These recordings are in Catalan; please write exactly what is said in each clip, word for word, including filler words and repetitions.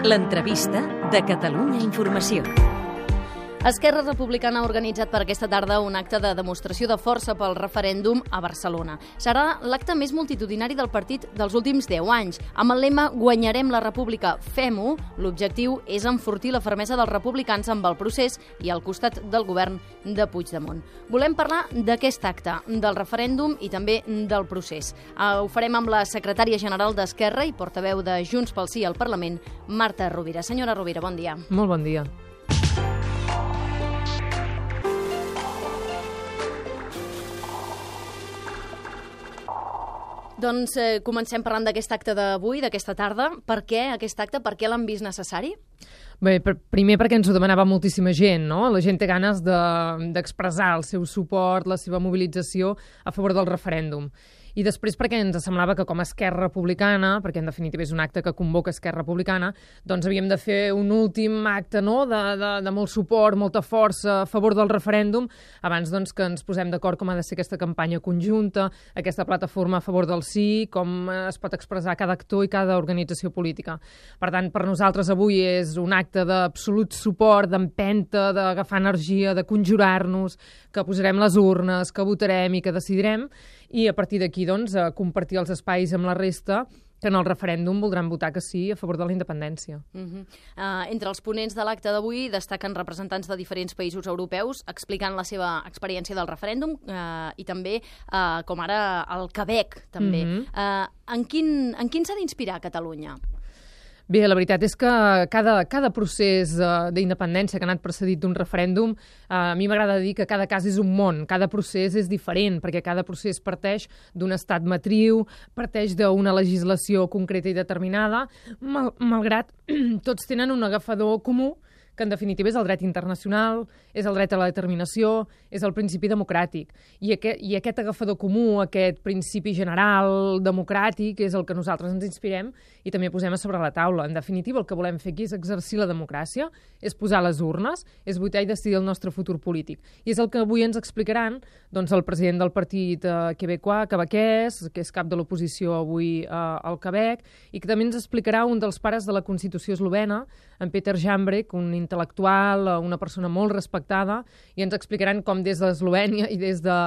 L'entrevista de Catalunya Informació. Esquerra Republicana ha organitzat per aquesta tarda un acte de demostració de força pel referèndum a Barcelona. Serà l'acte més multitudinari del partit dels últims deu anys. Amb el lema Guanyarem la República, fem-ho, l'objectiu és enfortir la fermesa dels republicans amb el procés i al costat del govern de Puigdemont. Volem parlar d'aquest acte, del referèndum i també del procés. Ho farem amb la secretària general d'Esquerra i portaveu de Junts pel Sí al Parlament, Marta Rovira. Senyora Rovira, bon dia. Molt bon dia. Doncs eh, comencem parlant d'aquest acte d'avui, d'aquesta tarda. Per què aquest acte? Per què l'han vist necessari? Bé, per, primer perquè ens ho demanava moltíssima gent, no? La gent té ganes de, d'expressar el seu suport, la seva mobilització a favor del referèndum. I després perquè ens semblava que com a Esquerra Republicana, perquè en definitiva és un acte que convoca Esquerra Republicana, doncs havíem de fer un últim acte, no?, de, de, de molt suport, molta força a favor del referèndum, abans doncs, que ens posem d'acord com ha de ser aquesta campanya conjunta, aquesta plataforma a favor del sí, com es pot expressar cada actor i cada organització política. Per tant, per nosaltres avui és un acte d'absolut suport, d'empenta, d'agafar energia, de conjurar-nos, que posarem les urnes, que votarem i que decidirem, i a partir d'aquí doncs, a compartir els espais amb la resta que en el referèndum voldran votar que sí a favor de la independència. Uh-huh. uh, entre els ponents de l'acte d'avui destaquen representants de diferents països europeus explicant la seva experiència del referèndum uh, i també, uh, com ara, el Quebec, també. Uh-huh. uh, en quin, en quin s'ha d'inspirar Catalunya? Bé, la veritat és que cada, cada procés uh, d'independència que ha anat precedit d'un referèndum, uh, a mi m'agrada dir que cada cas és un món, cada procés és diferent, perquè cada procés parteix d'un estat matriu, parteix d'una legislació concreta i determinada, mal, malgrat tots tenen un agafador comú, que en definitiva és el dret internacional, és el dret a la determinació, és el principi democràtic. I aquest, i aquest agafador comú, aquest principi general democràtic, és el que nosaltres ens inspirem i també posem a sobre la taula. En definitiva, el que volem fer aquí és exercir la democràcia, és posar les urnes, és votar i decidir el nostre futur polític. I és el que avui ens explicaran doncs, el president del partit eh, quebecois, quebequès, que és cap de l'oposició avui eh, al Quebec, i que també ens explicarà un dels pares de la Constitució eslovena, en Peter Jambrek, un intel·lectual, una persona molt respectada, i ens explicaran com des d'Eslovènia i des, de,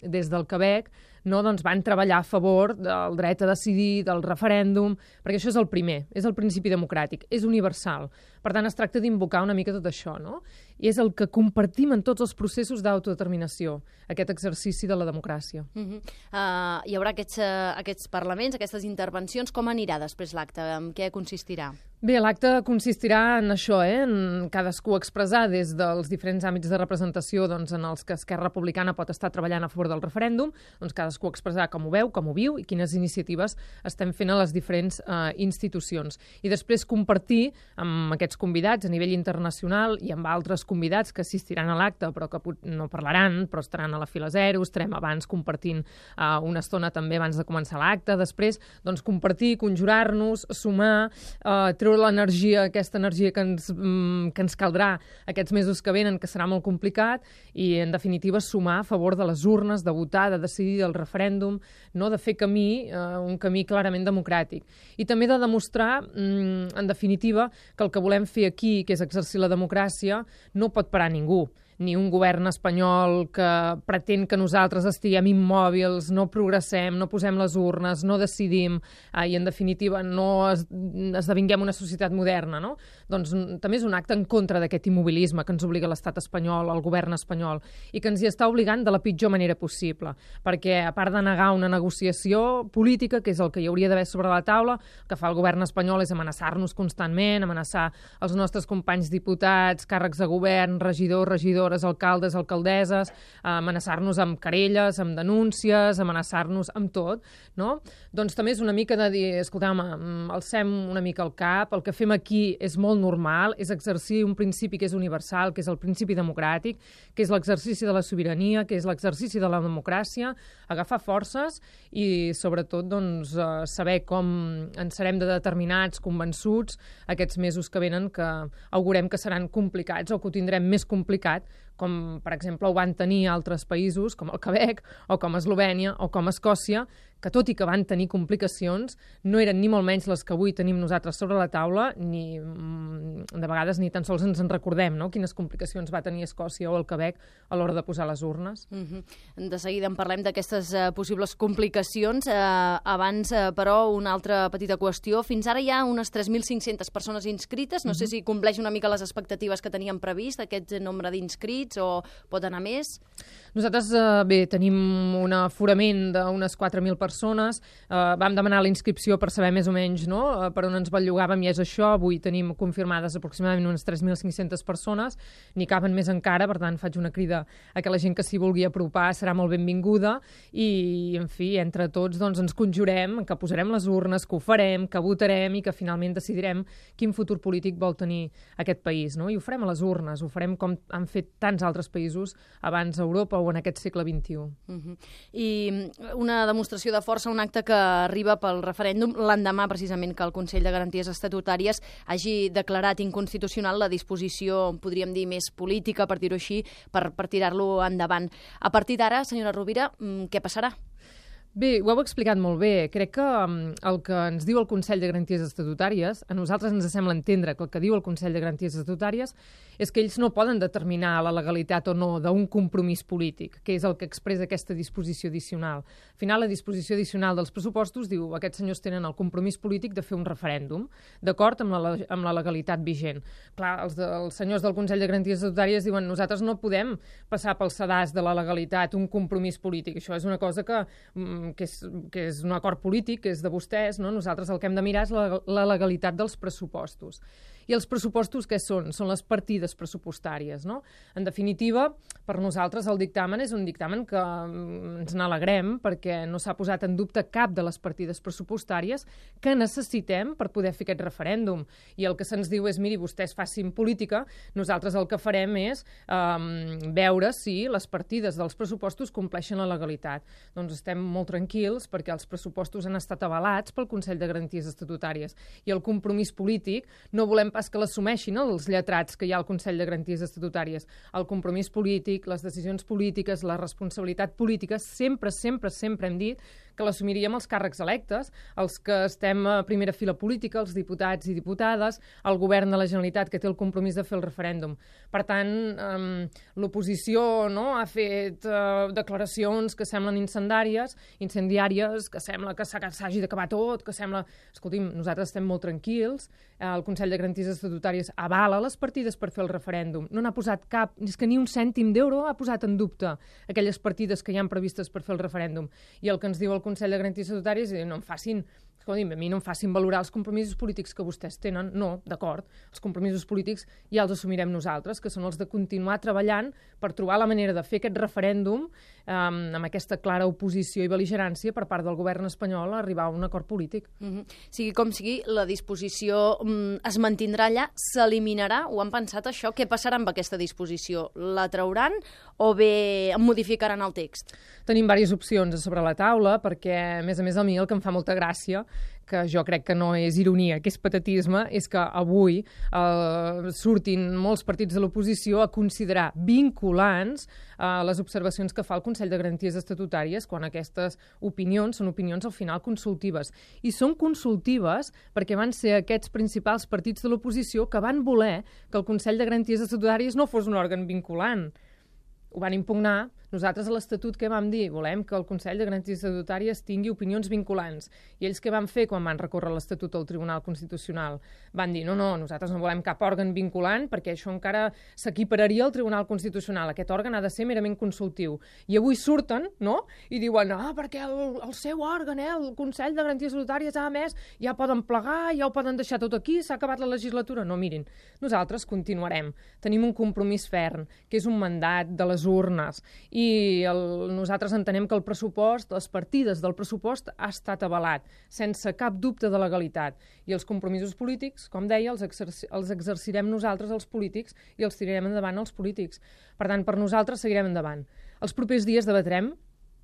des del Quebec no, doncs van treballar a favor del dret a decidir, del referèndum, perquè això és el primer, és el principi democràtic, és universal. Per tant, es tracta d'invocar una mica tot això, no? I és el que compartim en tots els processos d'autodeterminació, aquest exercici de la democràcia. Uh-huh. uh, hi haurà aquests, uh, aquests parlaments, aquestes intervencions. Com anirà després l'acte? En què consistirà? Bé, l'acte consistirà en això, eh? En cadascú expressar des dels diferents àmbits de representació doncs, en els que Esquerra Republicana pot estar treballant a favor del referèndum, doncs cadascú expressar com ho veu, com ho viu i quines iniciatives estem fent a les diferents eh, institucions. I després compartir amb aquests convidats a nivell internacional i amb altres convidats que assistiran a l'acte però que no parlaran, però estaran a la fila zero, estarem abans compartint eh, una estona també abans de començar l'acte, després doncs, compartir, conjurar-nos, sumar, eh, treure l'energia, aquesta energia que ens, mm, que ens caldrà aquests mesos que venen, que serà molt complicat, i en definitiva sumar a favor de les urnes, de votar, de decidir el referèndum, no? De fer camí, eh, un camí clarament democràtic. I també de demostrar, mm, en definitiva, que el que volem fer aquí, que és exercir la democràcia, no pot parar ningú. Ni un govern espanyol que pretén que nosaltres estiguem immòbils, no progressem, no posem les urnes, no decidim eh, i, en definitiva, no es, esdevinguem una societat moderna, no? Doncs també és un acte en contra d'aquest immobilisme que ens obliga l'estat espanyol, el govern espanyol, i que ens hi està obligant de la pitjor manera possible, perquè, a part de negar una negociació política, que és el que hi hauria d'haver sobre la taula, el que fa el govern espanyol és amenaçar-nos constantment, amenaçar els nostres companys diputats, càrrecs de govern, regidors, regidors, alcaldes, alcaldesses, amenaçar-nos amb querelles, amb denúncies, amenaçar-nos amb tot, no? Doncs també és una mica de dir, escolta'm, alcem una mica el cap, el que fem aquí és molt normal, és exercir un principi que és universal, que és el principi democràtic, que és l'exercici de la sobirania, que és l'exercici de la democràcia, agafar forces i, sobretot, doncs, saber com en serem de determinats, convençuts, aquests mesos que venen, que augurem que seran complicats o que ho tindrem més complicat, com, per exemple, ho van tenir altres països, com el Quebec, o com Eslovènia, o com Escòcia, que tot i que van tenir complicacions, no eren ni molt menys les que avui tenim nosaltres sobre la taula, ni de vegades ni tan sols ens en recordem, no?, quines complicacions va tenir Escòcia o el Quebec a l'hora de posar les urnes. Mm-hmm. De seguida en parlem d'aquestes uh, possibles complicacions. Uh, abans, uh, però, una altra petita qüestió. Fins ara hi ha unes tres mil cinc-centes persones inscrites. No mm-hmm. sé si compleix una mica les expectatives que teníem previst, aquest nombre d'inscrits, o pot anar més? Nosaltres, eh, bé, tenim un aforament d'unes quatre mil persones. Eh, vam demanar la inscripció per saber més o menys, no?, eh, per on ens bellugàvem, i és això. Avui tenim confirmades aproximadament unes tres mil cinc-centes persones. N'hi caben més encara, per tant, faig una crida a que la gent que s'hi vulgui apropar serà molt benvinguda. I, en fi, entre tots doncs, ens conjurem, que posarem les urnes, que ho farem, que votarem i que finalment decidirem quin futur polític vol tenir aquest país, no? I ho farem a les urnes, ho farem com han fet tants altres països abans a Europa o en aquest segle vint-i-u. Uh-huh. I una demostració de força, un acte que arriba pel referèndum l'endemà, precisament, que el Consell de Garanties Estatutàries hagi declarat inconstitucional la disposició, podríem dir, més política, per dir-ho així, per, per tirar-lo endavant. A partir d'ara, senyora Rovira, què passarà? Bé, ho heu explicat molt bé. Crec que um, el que ens diu el Consell de Garanties Estatutàries, a nosaltres ens sembla entendre que el que diu el Consell de Garanties Estatutàries és que ells no poden determinar la legalitat o no d'un compromís polític, que és el que expressa aquesta disposició addicional. Al final, la disposició addicional dels pressupostos diu que aquests senyors tenen el compromís polític de fer un referèndum, d'acord amb la, amb la legalitat vigent. Clar, els, de, els senyors del Consell de Garanties Estatutàries diuen nosaltres no podem passar pel sedàs de la legalitat un compromís polític. Això és una cosa que... Mm, Que és, que és un acord polític, que és de vostès, no? Nosaltres el que hem de mirar és la, la legalitat dels pressupostos. I els pressupostos què són? Són les partides pressupostàries, no? En definitiva, per nosaltres el dictamen és un dictamen que ens n'alegrem perquè no s'ha posat en dubte cap de les partides pressupostàries que necessitem per poder fer aquest referèndum. I el que se'ns diu és, miri, vostès facin política, nosaltres el que farem és um, veure si les partides dels pressupostos compleixen la legalitat. Doncs estem molt tranquils perquè els pressupostos han estat avalats pel Consell de Garanties Estatutàries i el compromís polític no volem pas que l'assumeixin els lletrats que hi ha al Consell de Garanties Estatutàries. El compromís polític, les decisions polítiques, la responsabilitat política, sempre, sempre, sempre hem dit que l'assumiríem els càrrecs electes, els que estem a primera fila política, els diputats i diputades, el govern de la Generalitat que té el compromís de fer el referèndum. Per tant, um, l'oposició, no, ha fet uh, declaracions que semblen incendàries, incendiàries, que sembla que s'hagi d'acabar tot, que sembla... Escolti'm, nosaltres estem molt tranquils, el Consell de Garanties Estatutàries avala les partides per fer el referèndum. No n'ha posat cap, és que ni un cèntim d'euro ha posat en dubte aquelles partides que hi han previstes per fer el referèndum. I el que ens diu el Consell de Garanties Estatutàries és no em facin, escolti'm, a mi no em facin valorar els compromisos polítics que vostès tenen. No, d'acord, els compromisos polítics ja els assumirem nosaltres, que són els de continuar treballant per trobar la manera de fer aquest referèndum um, amb aquesta clara oposició i bel·ligerància per part del govern espanyol a arribar a un acord polític. Mm-hmm. Sigui com sigui, la disposició es mantindrà allà, s'eliminarà? Ho han pensat, això? Què passarà amb aquesta disposició? La trauran o bé modificaran el text? Tenim diverses opcions sobre la taula, perquè, a més a més, a mi el que em fa molta gràcia, que jo crec que no és ironia, que és patetisme, és que avui eh, surtin molts partits de l'oposició a considerar vinculants eh, les observacions que fa el Consell de Garanties Estatutàries, quan aquestes opinions són opinions al final consultives. I són consultives perquè van ser aquests principals partits de l'oposició que van voler que el Consell de Garanties Estatutàries no fos un òrgan vinculant. Ho van impugnar. Nosaltres a l'Estatut què vam dir? Volem que el Consell de Garanties Estatutàries tingui opinions vinculants. I ells què van fer quan van recórrer l'Estatut al Tribunal Constitucional? Van dir, no, no, nosaltres no volem cap òrgan vinculant perquè això encara s'equipararia al Tribunal Constitucional. Aquest òrgan ha de ser merament consultiu. I avui surten, no?, i diuen, ah, perquè el, el seu òrgan, eh, el Consell de Garanties Estatutàries, a més, ja poden plegar, ja ho poden deixar tot aquí, s'ha acabat la legislatura. No, mirin, nosaltres continuarem. Tenim un compromís ferm, que és un mandat de les urnes, i el, nosaltres entenem que el pressupost, les partides del pressupost ha estat avalat, sense cap dubte de legalitat. I els compromisos polítics, com deia, els, exerci els exercirem nosaltres, els polítics, i els tirarem endavant els polítics. Per tant, per nosaltres seguirem endavant. Els propers dies debatrem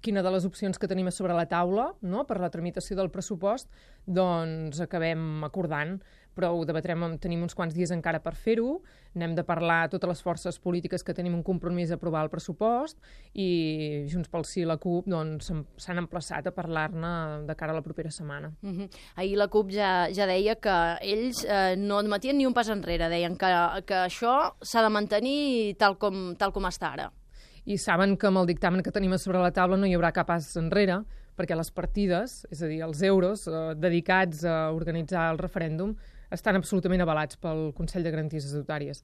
quina de les opcions que tenim sobre la taula, no?, per la tramitació del pressupost, doncs acabem acordant, però ho debatrem, tenim uns quants dies encara per fer-ho, n'hem de parlar totes les forces polítiques que tenim un compromís a aprovar el pressupost i Junts pel Sí i la CUP doncs, s'han emplaçat a parlar-ne de cara a la propera setmana. Uh-huh. Ahir la CUP ja, ja deia que ells eh, no admetien ni un pas enrere, deien que, que això s'ha de mantenir tal com, tal com està ara. I saben que amb el dictamen que tenim a sobre la taula no hi haurà cap pas enrere, perquè les partides, és a dir, els euros eh, dedicats a organitzar el referèndum, estan absolutament avalats pel Consell de Garanties Estatutàries.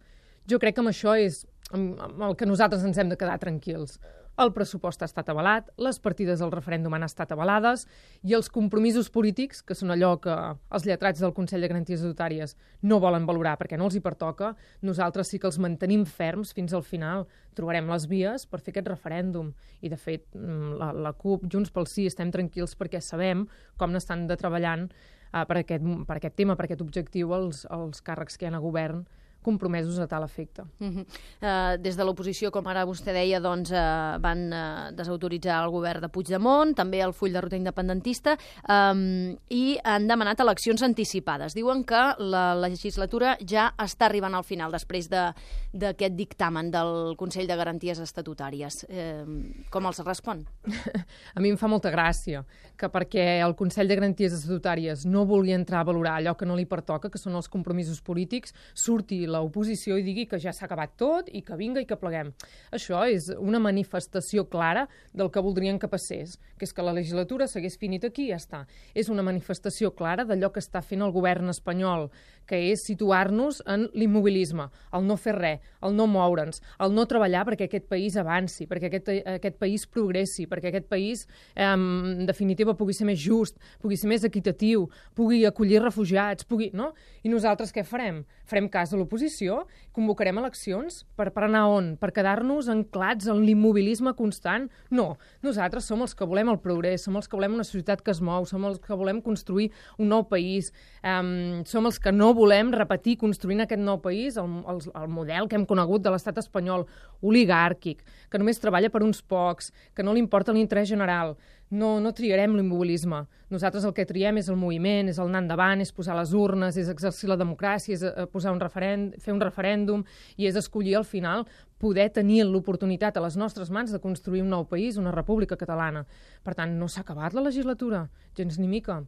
Jo crec que amb això és amb, amb el que nosaltres ens hem de quedar tranquils. El pressupost ha estat avalat, les partides del referèndum han estat avalades i els compromisos polítics, que són allò que els lletrats del Consell de Garanties Estatutàries no volen valorar perquè no els hi pertoca, nosaltres sí que els mantenim ferms fins al final. Trobarem les vies per fer aquest referèndum. I, de fet, la, la CUP, Junts pel Sí, estem tranquils perquè sabem com n'estan de treballant uh, per, aquest, per aquest tema, per aquest objectiu, els, els càrrecs que hi ha a govern compromesos a tal efecte. Uh-huh. uh, des de l'oposició, com ara vostè deia, doncs, uh, van uh, desautoritzar el govern de Puigdemont, també el full de ruta independentista, um, i han demanat eleccions anticipades. Diuen que la legislatura ja està arribant al final després d'aquest de, dictamen del Consell de Garanties Estatutàries. Eh, com els respon? A mi em fa molta gràcia que perquè el Consell de Garanties Estatutàries no vulgui entrar a valorar allò que no li pertoca, que són els compromisos polítics, surti l'oposició i digui que ja s'ha acabat tot i que vinga i que pleguem. Això és una manifestació clara del que voldrien que passés, que és que la legislatura s'hagués finit aquí i ja està. És una manifestació clara d'allò que està fent el govern espanyol, que és situar-nos en l'immobilisme, el no fer res, el no moure'ns, el no treballar perquè aquest país avanci, perquè aquest, aquest país progressi, perquè aquest país, eh, en definitiva, pugui ser més just, pugui ser més equitatiu, pugui acollir refugiats, pugui... no? I nosaltres què farem? Farem cas de l'oposició, convocarem eleccions per, per anar on? Per quedar-nos anclats en l'immobilisme constant? No, nosaltres som els que volem el progrés, som els que volem una societat que es mou, som els que volem construir un nou país, um, som els que no volem repetir construint aquest nou país el, el, el model que hem conegut de l'estat espanyol oligàrquic, que només treballa per uns pocs, que no li importa l'interès general. No, no triarem l'immobilisme. Nosaltres el que triem és el moviment, és el anar endavant, és posar les urnes, és exercir la democràcia, és posar un referèndum, fer un referèndum i és escollir al final poder tenir l'oportunitat a les nostres mans de construir un nou país, una república catalana. Per tant, no s'ha acabat la legislatura, gens ni mica.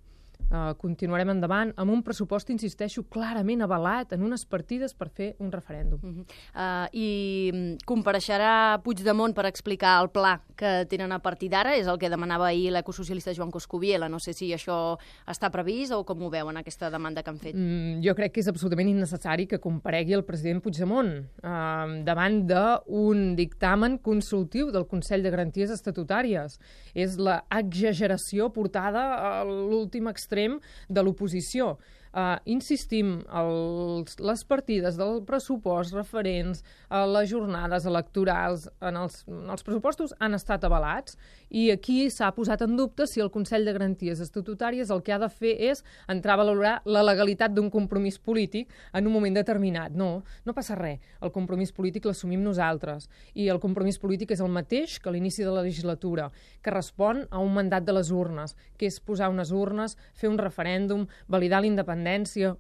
Uh, continuarem endavant amb un pressupost, insisteixo, clarament avalat en unes partides per fer un referèndum. Uh-huh. uh, I compareixerà Puigdemont per explicar el pla que tenen a partir d'ara, és el que demanava ahir l'ecosocialista Joan Coscubiela. No sé si això està previst o com ho veuen, aquesta demanda que han fet. Mm, jo crec que és absolutament innecessari que comparegui el president Puigdemont uh, davant d'un dictamen consultiu del Consell de Garanties Estatutàries. És la exageració portada a l'últim extrem de l'oposició. Uh, insistim, els, les partides del pressupost referents a les jornades electorals en els, en els pressupostos han estat avalats i aquí s'ha posat en dubte si el Consell de Garanties Estatutàries el que ha de fer és entrar a valorar la legalitat d'un compromís polític en un moment determinat. No, no passa res. El compromís polític l'assumim nosaltres i el compromís polític és el mateix que a l'inici de la legislatura, que respon a un mandat de les urnes, que és posar unes urnes, fer un referèndum, validar la independència,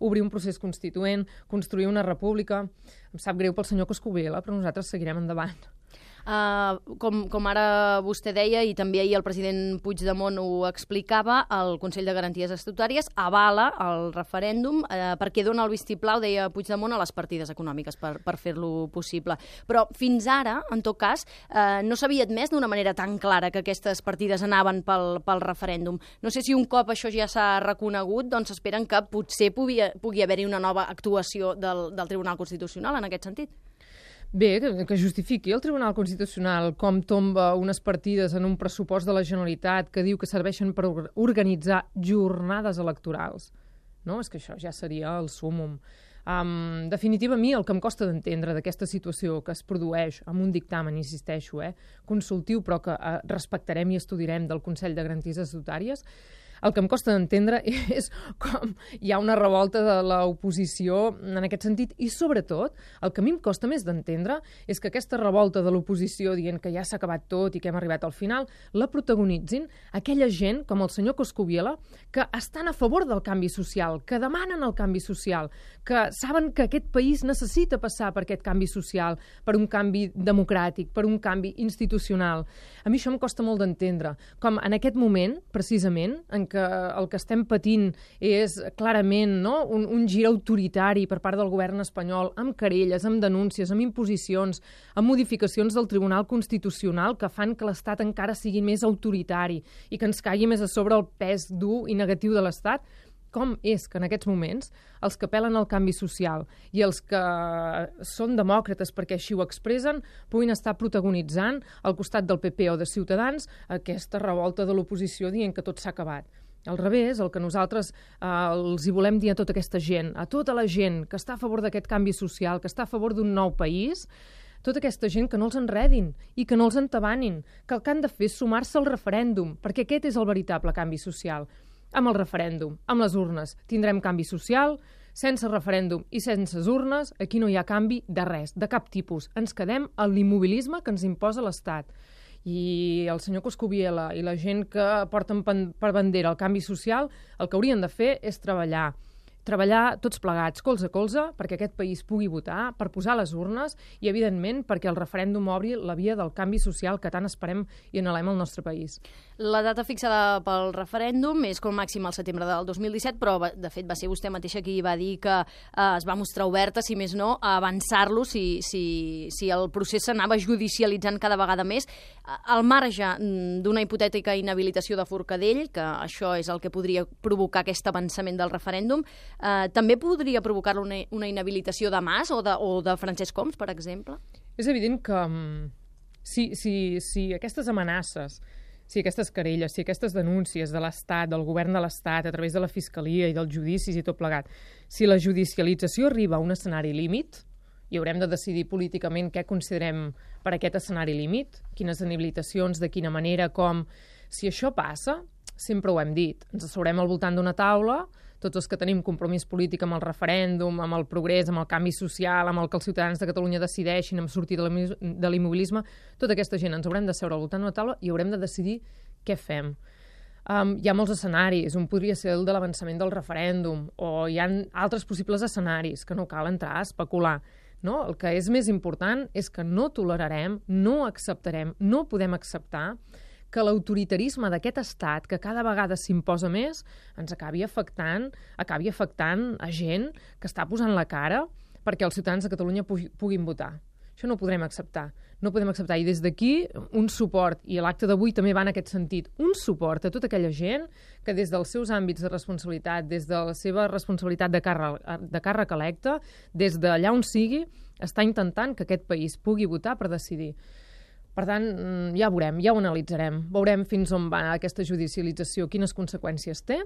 obrir un procés constituent, construir una república. Em sap greu pel senyor Coscubiela, però nosaltres seguirem endavant. Uh, com, com ara vostè deia, i també ahir el president Puigdemont ho explicava, el Consell de Garanties Estatutàries avala el referèndum uh, perquè dona el vistiplau, deia Puigdemont, a les partides econòmiques per, per fer-lo possible. Però fins ara, en tot cas, uh, no s'havia admès d'una manera tan clara que aquestes partides anaven pel, pel referèndum. No sé si un cop això ja s'ha reconegut, doncs esperen que potser pugui, pugui haver-hi una nova actuació del, del Tribunal Constitucional en aquest sentit. Bé, que, que justifiqui el Tribunal Constitucional com tomba unes partides en un pressupost de la Generalitat que diu que serveixen per organitzar jornades electorals. No? És que això ja seria el súmum. Um, en definitiva, a mi el que em costa d'entendre d'aquesta situació que es produeix amb un dictamen, insisteixo, eh, consultiu, però que eh, respectarem i estudiarem del Consell de Garanties Estatutàries, El que em costa d'entendre és com hi ha una revolta de l'oposició en aquest sentit i, sobretot, el que a mi em costa més d'entendre és que aquesta revolta de l'oposició dient que ja s'ha acabat tot i que hem arribat al final, la protagonitzin aquella gent, com el senyor Coscubiela, que estan a favor del canvi social, que demanen el canvi social, que saben que aquest país necessita passar per aquest canvi social, per un canvi democràtic, per un canvi institucional. A mi això em costa molt d'entendre. Com en aquest moment, precisament, en que el que estem patint és clarament no, un, un gir autoritari per part del govern espanyol, amb querelles, amb denúncies, amb imposicions, amb modificacions del Tribunal Constitucional que fan que l'Estat encara sigui més autoritari i que ens caigui més a sobre el pes dur i negatiu de l'Estat. Com és que en aquests moments els que apel·len al canvi social i els que són demòcrates perquè així ho expressen puguin estar protagonitzant al costat del P P o de Ciutadans aquesta revolta de l'oposició dient que tot s'ha acabat? Al revés, el que nosaltres eh, els hi volem dir a tota aquesta gent, a tota la gent que està a favor d'aquest canvi social, que està a favor d'un nou país, tota aquesta gent que no els enredin i que no els entabanin, que el que han de fer és sumar-se al referèndum, perquè aquest és el veritable canvi social. Amb el referèndum, amb les urnes, tindrem canvi social, sense referèndum i sense urnes, aquí no hi ha canvi de res, de cap tipus. Ens quedem a l'immobilisme que ens imposa l'Estat. I el senyor Coscubiela i la gent que porten per bandera el canvi social, el que haurien de fer és treballar. Treballar tots plegats, colze a colze, perquè aquest país pugui votar, per posar les urnes i, evidentment, perquè el referèndum obri la via del canvi social que tant esperem i anhelem al nostre país. La data fixada pel referèndum és com màxim al setembre del dos mil disset, però, de fet, va ser vostè mateixa qui va dir que eh, es va mostrar oberta, si més no, a avançar-lo si, si, si el procés s'anava judicialitzant cada vegada més. Al marge d'una hipotètica inhabilitació de Forcadell, que això és el que podria provocar aquest avançament del referèndum, Uh, també podria provocar una, una inhabilitació de Mas o de, o de Francesc Homs, per exemple? És evident que um, si, si, si aquestes amenaces, si aquestes querelles, si aquestes denúncies de l'Estat, del govern de l'Estat, a través de la Fiscalia i dels judicis i tot plegat, si la judicialització arriba a un escenari límit, i haurem de decidir políticament què considerem per aquest escenari límit, quines inhabilitacions, de quina manera, com... Si això passa, sempre ho hem dit, ens asseurem al voltant d'una taula, tots els que tenim compromís polític amb el referèndum, amb el progrés, amb el canvi social, amb el que els ciutadans de Catalunya decideixin, amb sortir de l'immobilisme, tota aquesta gent ens haurem de seure al voltant d'una taula i haurem de decidir què fem. Um, hi ha molts escenaris, un podria ser el de l'avançament del referèndum, o hi ha altres possibles escenaris que no cal entrar a especular. No? El que és més important és que no tolerarem, no acceptarem, no podem acceptar que l'autoritarisme d'aquest estat, que cada vegada s'imposa més, ens acabi afectant, acabi afectant a gent que està posant la cara perquè els ciutadans de Catalunya puguin votar. Això no ho podrem acceptar. No ho podem acceptar. I des d'aquí, un suport, i l'acte d'avui també va en aquest sentit, un suport a tota aquella gent que des dels seus àmbits de responsabilitat, des de la seva responsabilitat de càrrec, de càrrec electe, des d'allà on sigui, està intentant que aquest país pugui votar per decidir. Per tant, ja veurem, ja ho analitzarem. Veurem fins on va aquesta judicialització, quines conseqüències té,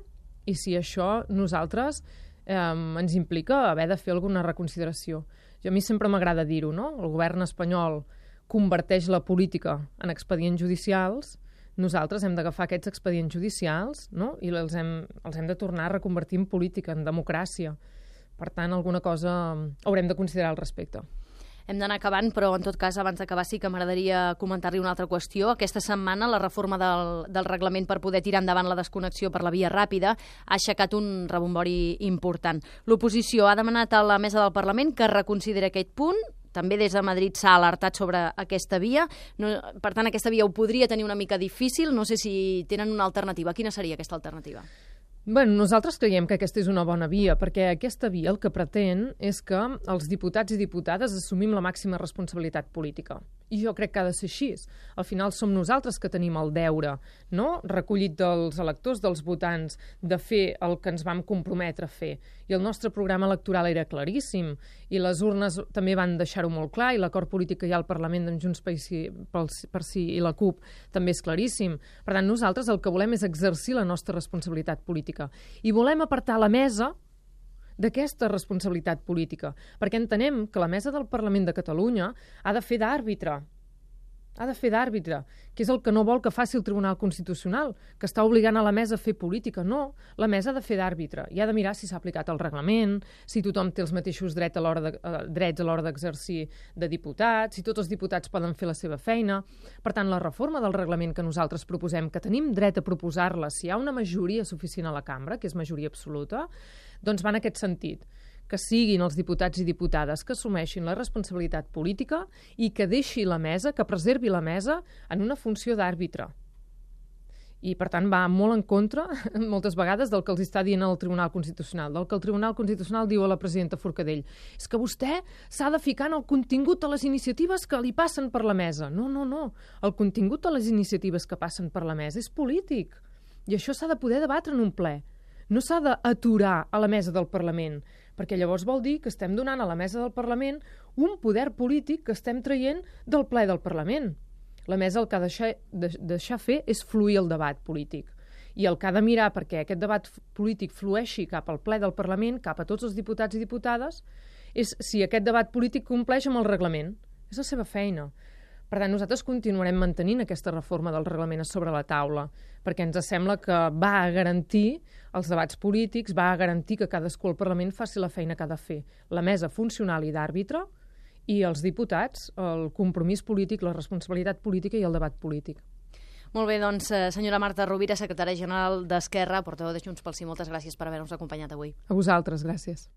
i si això nosaltres eh, ens implica haver de fer alguna reconsideració. Jo, a mi sempre m'agrada dir-ho, no? El govern espanyol converteix la política en expedients judicials, nosaltres hem d'agafar aquests expedients judicials, no? I els hem, els hem de tornar a reconvertir en política, en democràcia. Per tant, alguna cosa haurem de considerar al respecte. Hem d'anar acabant, però en tot cas, abans d'acabar sí que m'agradaria comentar-li una altra qüestió. Aquesta setmana la reforma del, del reglament per poder tirar endavant la desconnexió per la via ràpida ha aixecat un rebombori important. L'oposició ha demanat a la mesa del Parlament que reconsideri aquest punt. També des de Madrid s'ha alertat sobre aquesta via. No, per tant, aquesta via ho podria tenir una mica difícil. No sé si tenen una alternativa. Quina seria aquesta alternativa? Bueno, nosaltres creiem que aquesta és una bona via, perquè aquesta via el que pretén és que els diputats i diputades assumim la màxima responsabilitat política. I jo crec que ha de ser així. Al final som nosaltres que tenim el deure, no? Recollit dels electors, dels votants, de fer el que ens vam comprometre a fer. I el nostre programa electoral era claríssim, i les urnes també van deixar-ho molt clar, i l'acord polític que hi ha al Parlament d'en Junts per si, per si i la CUP també és claríssim. Per tant, nosaltres el que volem és exercir la nostra responsabilitat política. I volem apartar la mesa d'aquesta responsabilitat política, perquè entenem que la mesa del Parlament de Catalunya ha de fer d'àrbitre. ha de fer d'àrbitre, que és el que no vol que faci el Tribunal Constitucional, que està obligant a la mesa a fer política. No, la mesa ha de fer d'àrbitre i ha de mirar si s'ha aplicat el reglament, si tothom té els mateixos drets a l'hora de, eh, drets a l'hora d'exercir de diputat, si tots els diputats poden fer la seva feina. Per tant, la reforma del reglament que nosaltres proposem, que tenim dret a proposar-la si hi ha una majoria suficient a la cambra, que és majoria absoluta, doncs va en aquest sentit, que siguin els diputats i diputades que assumeixin la responsabilitat política i que deixi la mesa, que preservi la mesa en una funció d'àrbitre. I, per tant, va molt en contra, moltes vegades, del que els està dient el Tribunal Constitucional, del que el Tribunal Constitucional diu a la presidenta Forcadell. És que vostè s'ha de ficar en el contingut de les iniciatives que li passen per la mesa. No, no, no. El contingut de les iniciatives que passen per la mesa és polític. I això s'ha de poder debatre en un ple. No s'ha d'aturar a la mesa del Parlament, perquè llavors vol dir que estem donant a la mesa del Parlament un poder polític que estem traient del ple del Parlament. La mesa el que ha de deixar, de, deixar fer és fluir el debat polític. I el que ha de mirar perquè aquest debat polític flueixi cap al ple del Parlament, cap a tots els diputats i diputades, és si aquest debat polític compleix amb el reglament. És la seva feina. Per tant, nosaltres continuarem mantenint aquesta reforma del reglament sobre la taula, perquè ens sembla que va a garantir els debats polítics, va a garantir que cadascú al Parlament faci la feina que ha de fer. La mesa funcional i d'àrbitre i els diputats, el compromís polític, la responsabilitat política i el debat polític. Molt bé, doncs, senyora Marta Rovira, secretària general d'Esquerra, portaveu de Junts pel Sí, moltes gràcies per haver-nos acompanyat avui. A vosaltres, gràcies.